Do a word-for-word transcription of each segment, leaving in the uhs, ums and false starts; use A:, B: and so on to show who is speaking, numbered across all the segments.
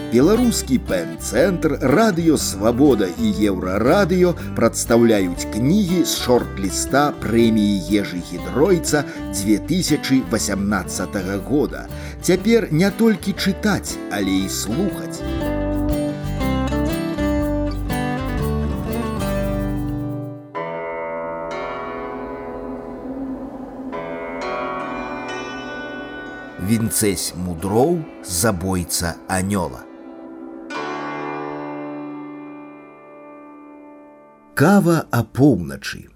A: Беларускі пэн-цэнтр, Радыё Свабода і Еўрарадыё прадстаўляюць кнігі з шорт-ліста прэміі Ежы Гідройца две тысячи восемнадцатого года. Цяпер не толькі чытаць, але і слухаць. Вінцэсь мудроў, забойца анёла. Кава апоўначы.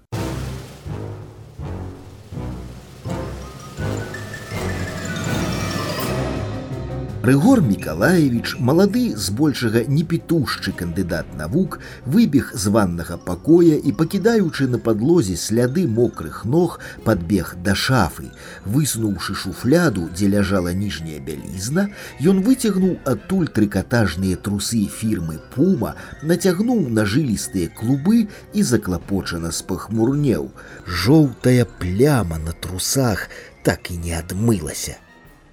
A: Рыгор Мікалаевіч, малады, збольшага непітушчы кандыдат навук, выбег з ваннага пакоя і, пакідаючы на падлозе сляды мокрых ног, падбег да шафы. Высунуўшы шуфляду, дзе ляжала ніжняя бялізна, ён выцягнуў адтуль трыкатажныя трусы фірмы «Пума», нацягнуў на жылістыя клубы і заклапочана спахмурнеў. Жоўтая пляма на трусах так і не адмылася.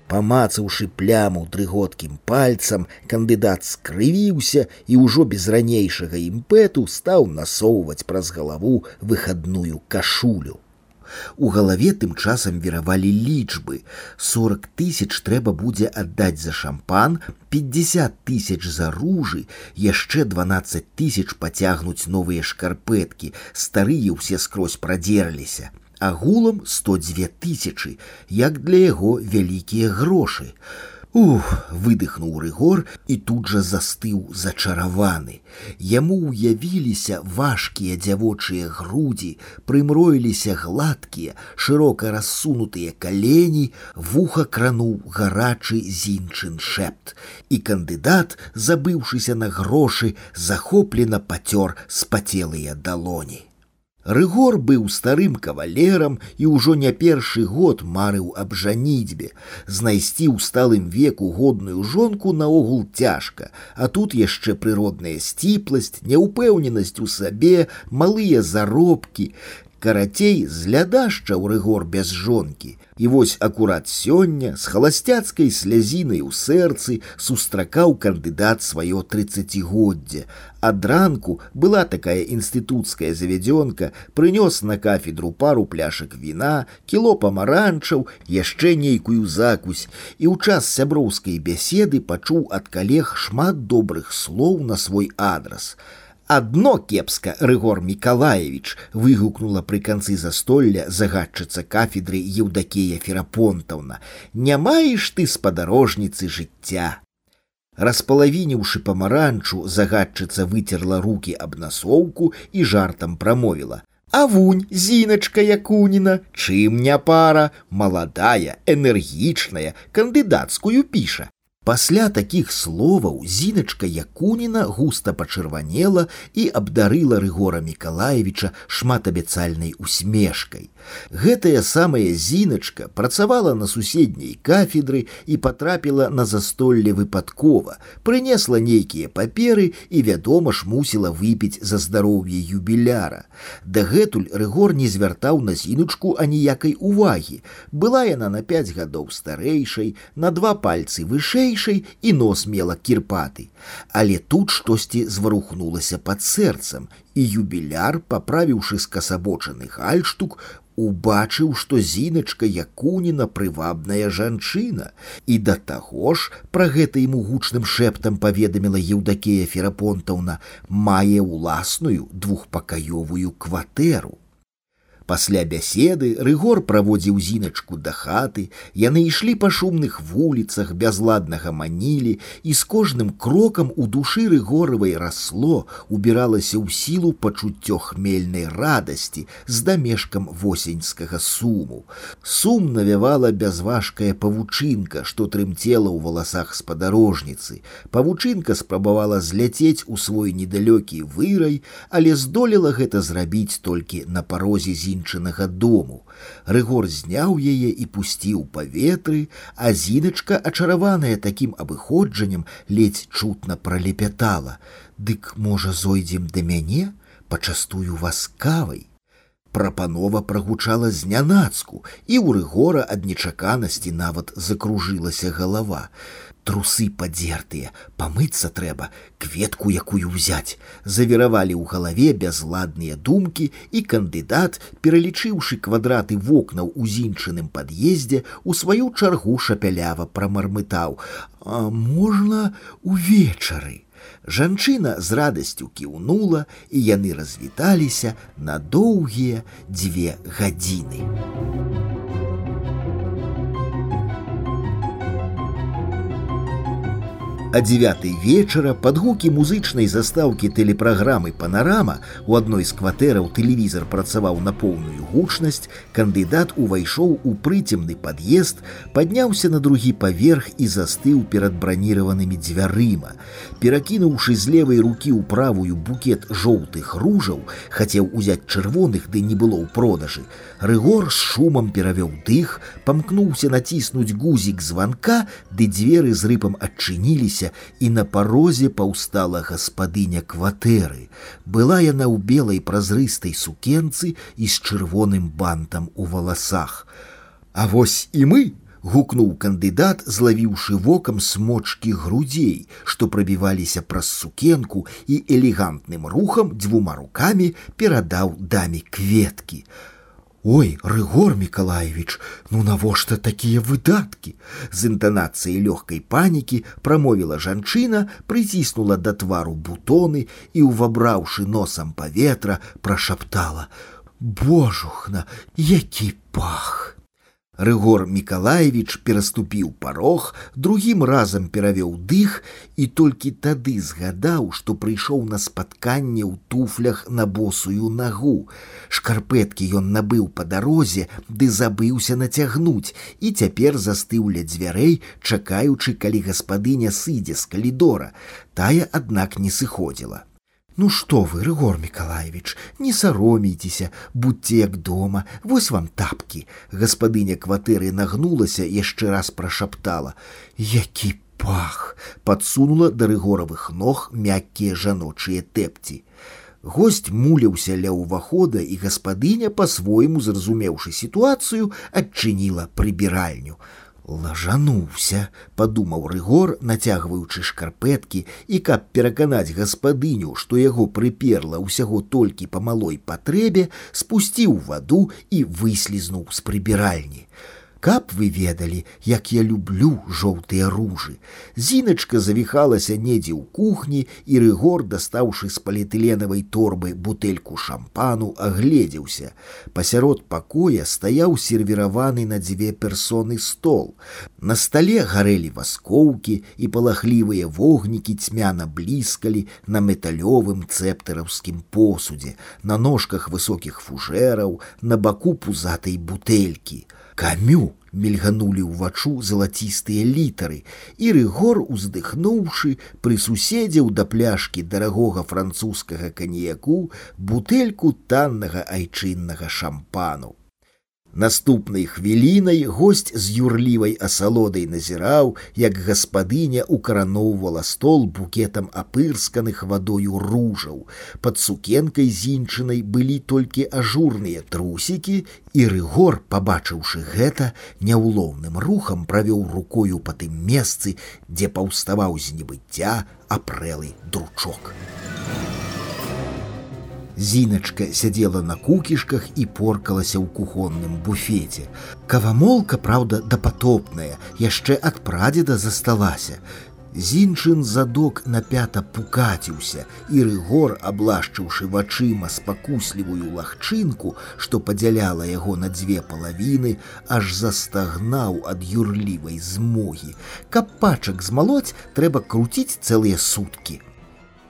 A: Памацаўшы пляму дрыготкім пальцам, кандыдат скрывіўся і ўжо без ранейшага імпэту стаў насоўваць праз галаву выхадную кашулю. У галаве тым часам віравалі лічбы. сорок тысяч трэба будзе аддаць за шампан, пятьдесят тысяч за ружы, яшчэ дванаццаць тысяч пацягнуць новыя шкарпэткі, старыя ўсе скрозь прадзерліся. Агулам сто дзве тысячы, як для яго вялікія грошы. Ух, выдыхнуў Рыгор і тут жа застыў зачараваны. Яму ўявіліся важкія дзявочыя грудзі, прымроіліся гладкія, шырока рассунутыя калені, вуха крануў гарачы зінчын шэпт. І кандыдат, забыўшыся на грошы, захоплена пацёр спацелыя далоні. Рыгор быў старым кавалерам і ўжо не першы год марыў аб жаніцьбе. Знайсці ў сталым веку годную жонку наогул цяжка, а тут яшчэ прыродная сціпласць, няўпэўненасць у сабе, малыя заробкі. Карацей, злядашчаў Рыгор без жонкі. І вось акурат сёння з халасцяцкай слязінай у сэрцы сустракаў кандыдат сваё трыццацігоддзе. Ад ранку была такая інстытуцкая завядзёнка, прынёс на кафедру пару пляшак віна, кіло памаранчаў, яшчэ нейкую закусь, і ў час сяброўскай бяседы пачуў ад калег шмат добрых слоў на свой адрас. «Адно кепска, Рыгор Мікалаевіч!» – выгукнула пры канцы застолля загадчыца кафедры Еўдакія Ферапонтаўна. «Не маеш ты спадарожніцы жыцця!» Распалавініўшы памаранчу, загадчыца выцерла рукі аб насоўку і жартам прамовіла. «А вунь, Зіначка Якуніна, чым не пара, маладая, энергічная, кандыдацкую піша!» Пасля такіх словаў Зіначка Якуніна густа пачырванела і абдарыла Рыгора Мікалаевіча шматабяцальнай усмешкай. Гэтая самая Зіначка працавала на суседняй кафедры і патрапіла на застолле выпадкова, прынесла нейкія паперы і, вядома ж, мусіла выпіць за здароўе юбіляра. Дагэтуль Рыгор не звяртаў на Зіначку аніякай увагі. Была яна на пяць гадоў старэйшай, на два пальцы вышэйшай, і нос мела кірпаты. Але тут штосьці зварухнулася пад сэрцам, і юбіляр, паправіўшы скасабочаны гальштук, убачыў, што Зіначка Якуніна прывабная жанчына. І да таго ж, пра гэта ему гучным шэптам паведаміла Еўдакія Ферапонтаўна, мае ўласную двухпакаёвую кватэру. Пасля бяседы Рыгор праводзіў Зіначку да хаты, яны ішлі па шумных вуліцах, бязладна гаманілі, і з кожным крокам у душы Рыгоравай расло, убіралася ў сілу пачуццё хмельнай радасці з дамешкам восеньскага суму. Сум навявала бязважкая павучынка, што трымцела ў валасах спадарожніцы. Павучынка спрабавала зляцець у свой недалёкі вырай, але здолела гэта зрабіць толькі на парозе Зіначкі дому. Рыгор зняў яе і пусціў паветры, а Зіначка, ачараваная такім абыходжаннем, ледзь чутна пралепятала. «Дык, можа, зойдзем да мяне? Пачастую вас кавай?» Прапанова прагучала знянацку, і ў Рыгора ад нечаканасці нават закружылася галава. Трусы падзертыя, памыцца трэба, кветку якую ўзяць. Завіравалі ў галаве бязладныя думкі, і кандыдат, пералічыўшы квадраты вокнаў у зінчыным пад'ездзе, у сваю чаргу шапялява прамармытаў: «А можна увечары?» Жанчына з радасцю кіўнула, і яны развіталіся на доўгія дзве гадзіны. А дзевятай вечара пад гукі музычнай застаўкі тэлепраграмы «Панарама» у адной з кватэраў тэлевізар працаваў на поўную гучнасць, кандыдат увайшоў у прыцемны пад'езд, падняўся на другі паверх і застыў перад браніраванымі дзвярыма. Перакінуўшы з левай рукі ў правую букет жоўтых ружаў, хацеў узяць чырвоных, ды не было ў продажы. Рыгор з шумам перавёў дых, памкнуўся націснуць гузік званка, ды дзверы з рыпам адчыніліся, і на парозе паўстала гаспадыня кватэры. Была яна ў белай празрыстай сукенцы і з чырвоным бантам у валасах. «А вось і мы!» — гукнуў кандыдат, злавіўшы вокам смочкі грудзей, што прабіваліся праз сукенку, і элегантным рухам дзвюма рукамі перадаў даме кветкі. «Ой, Рыгор Мікалаевіч, ну навошта такія выдаткі?» З інтанацыяй лёгкай панікі прамовіла жанчына, прыціснула да твару бутоны і, увабраўшы носам паветра, прашаптала: «Божухна, які пах!» Рыгор Мікалаевіч пераступіў парог, другім разам перавёў дых і толькі тады згадаў, што прыйшоў на спатканне ў туфлях на босую нагу. Шкарпэткі ён набыў па дарозе, ды забыўся нацягнуць, і цяпер застыў ля дзвярэй, чакаючы, калі гаспадыня сыдзе з калідора. Тая, аднак, не сыходзіла. «Ну што вы, Рыгор Мікалаевіч, не саромейцеся, будьце як дома, вось вам тапкі». Гаспадыня кватэры нагнулася, яшчэ раз прашаптала: «Які пах!» Падсунула да рыгоравых ног мяккія жаночыя тэпці. Госць муляўся ля ўвахода, і гаспадыня, па-свойму зразумеўшы сітуацыю, адчыніла прыбіральню. «Лажануўся», — падумаў Рыгор, нацягваючы шкарпэткі, і каб пераканаць гаспадыню, што яго прыперла ўсяго толькі па малой патрэбе, спусціў ваду і выслізнуў з прыбіральні. Каб вы ведалі, як я люблю жоўтыя ружы. Зіначка завіхалася недзе ў кухні, і Рыгор, дастаўшы з паліэтыленавай торбы бутэльку шампану, агледзеўся. Пасярод пакоя стаяў сервіраваны на дзве персоны стол. На стале гарэлі васкоўкі, і палахлівыя вогнікі цьмяна бліскалі на металёвым цэптараўскім посудзе, на ножках высокіх фужэраў, на баку пузатай бутэлькі. «Камю!» — мільганулі ўвачу залацістыя літары, і Рыгор, уздыхнуўшы, прысуседзеў да пляшкі дарагога французскага каньяку бутэльку таннага айчыннага шампану. Наступнай хвілінай госць з юрлівай асалодай назіраў, як гаспадыня укараноўвала стол букетам апырсканых вадою ружаў. Пад сукенкай зінчынай былі толькі ажурныя трусікі, і Рыгор, пабачыўшы гэта, няўлоўным рухам правёў рукою па тым месцы, дзе паўставаў з небыцця апрэлы дручок. Зіначка сядзела на кукішках і поркалася ў кухонным буфеце. Кавамолка, праўда, дапатопная, яшчэ ад прадзеда засталася. Зінчын задок напята пукаціўся, і Рыгор, аблашчыўшы вачыма спакуслівую лагчынку, што падзяляла яго на дзве палавіны, аж застагнаў ад юрлівай змогі. Каб пачак змалоць, трэба круціць цэлыя суткі.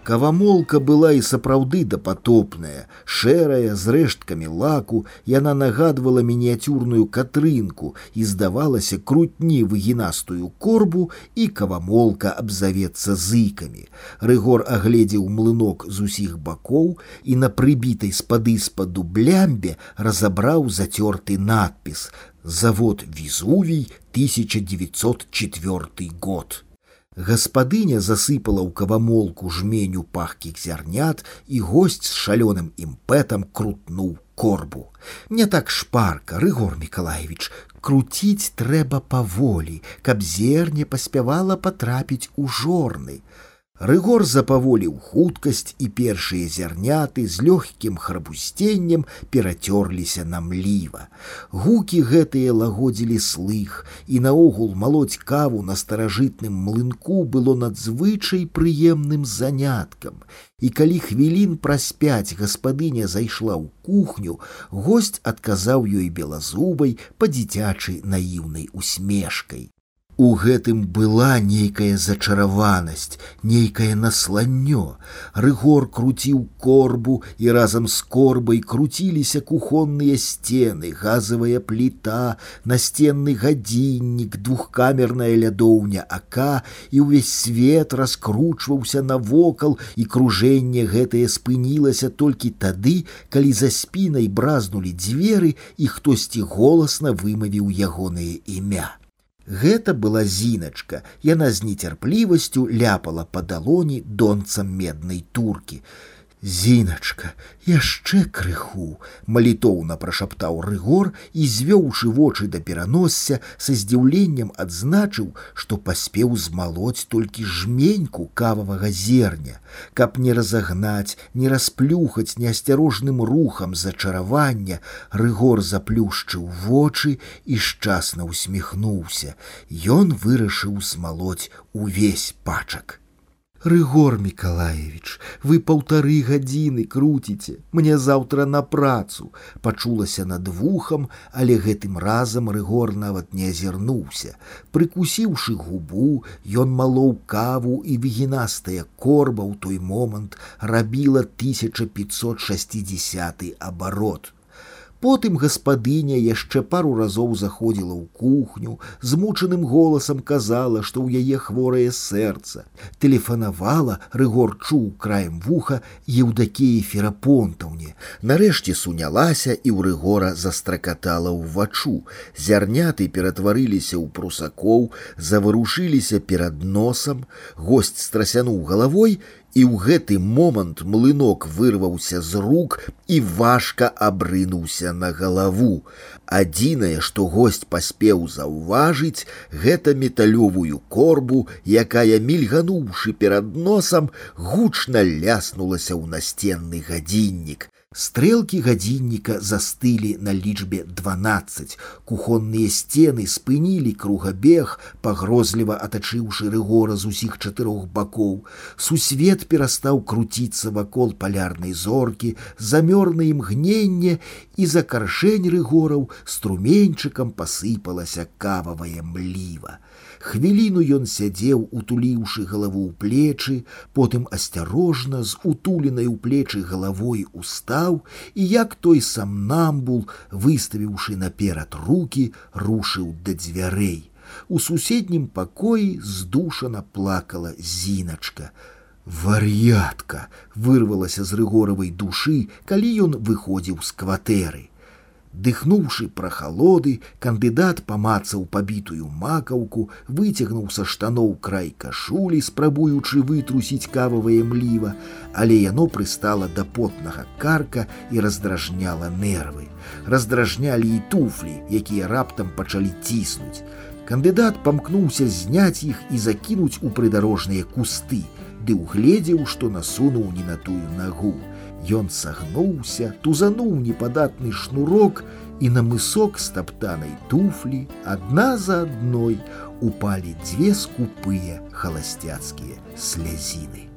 A: Кавамолка была і сапраўды дапатопная, шэрая, з рэшткамі лаку, яна нагадвала мініяцюрную катрынку і здавалася крутні выгінастую корбу, і кавамолка абзавецца зыкамі. Рыгор агледзеў млынок з усіх бакоў і на прыбітай спады-спаду блямбе разабраў зацёрты надпіс «Завод Везувий, тысяча девятьсот четвёртый год». Гаспадыня засыпала ў кавамолку жменю пахкіх зярнят, і госць з шалёным імпэтам крутнуў корбу. Не так шпарка, Рыгор Мікалаевіч, круціць трэба паволі, каб зерне паспявала патрапіць у жорны. Рыгор запаволіў хуткасць, і першыя зярняты з лёгкім храбусценнем перацёрліся на мліва. Гукі гэтыя лагодзілі слых, і наогул малоць каву на старажытным млынку было надзвычай прыемным заняткам. І калі хвілін праз пяць гаспадыня зайшла ў кухню, госць адказаў ёй белазубай па-дзіцячы наіўнай усмешкай. У гэтым была нейкая зачараванасць, нейкае насланнё. Рыгор круціў корбу, і разам з корбай круціліся кухонныя сцены, газавая пліта, настенны гадзіннік, двухкамерная лядоўня ака, і ўвесь свет раскручваўся навокал, і кружэнне гэтае спынілася толькі тады, калі за спінай бразнулі дзверы, і хтосьці голасна вымавіў ягонае імя. Гэта была Зіначка, яна з нецярплівасцю ляпала па далоні донцам меднай туркі. «Зіначка, яшчэ крыху!» – малітоўна прашаптаў Рыгор і, звёўшы вочы да пераносся, са здзіўленнем адзначыў, што паспеў змалоць толькі жменьку кававага зерня. Каб не разагнаць, не расплюхаць неасцярожным рухам зачаравання, Рыгор заплюшчыў вочы і шчасна усміхнуўся. Ён вырашыў змалоць увесь пачак. «Рыгор Мікалаевіч, вы паўтары гадзіны круціце, мне заўтра на працу», – пачулася над вухам, але гэтым разам Рыгор нават не азірнуўся. Прыкусіўшы губу, ён малоў каву, і вігінастая корба ў той момант рабіла тысяча пятьсот шестидесяты абарот. Потым гаспадыня яшчэ пару разоў заходзіла ў кухню, змучаным голасам казала, што ў яе хворае сэрца. Тэлефанавала, Рыгор чуў краем вуха, Еўдакіі Ферапонтаўне. Нарэшце сунялася, і ў Рыгора застракатала ўваччу. Зярняты ператварыліся ў прусакоў, заварушыліся перад носам. Госць страсянуў галавой, і ў гэты момант млынок вырваўся з рук і важка абрынуўся на галаву. Адзінае, што госць паспеў заўважыць, гэта металёвую корбу, якая, мільгануўшы перад носам, гучна ляснулася ў настенны гадзіннік. Стрэлкі гадзінніка застылі на лічбе дванаццаць. Кухонныя сцены спынілі кругабег, пагрозліва атачыўшы Рыгора з усіх чатырох бакоў. Сусвет перастаў круціцца вакол палярнай зоркі, замёр на імгненне, і за каршэнь Рыгораў струменьчыкам пасыпалася кававая мліва. Хвіліну ён сядзеў, утуліўшы галаву ў плечы, потым асцярожна з утуленай у плечы галавой устаў і, як той самнамбул, выставіўшы наперад рукі, рушыў да дзвярэй. У суседнім пакоі здушана плакала Зіначка. «Вар'ятка!» – вырвалася з Рыгоравай душы, калі ён выходзіў з кватэры. Дыхнуўшы прахалоды, кандыдат памацаў пабітую макаўку, выцягнуў са штаноў край кашулі, спрабуючы вытрусіць кававае мліва, але яно прыстала да потнага карка і раздражняла нервы. Раздражнялі і туфлі, якія раптам пачалі ціснуць. Кандыдат памкнуўся зняць іх і закінуць у прыдарожныя кусты, ды угледзеў, што насунуў не на тую нагу. Ён сагнуўся, тузануў непадатны шнурок, і на мысок стаптанай туфлі адна за адной упалі дзве скупыя халасцяцкія слязіны.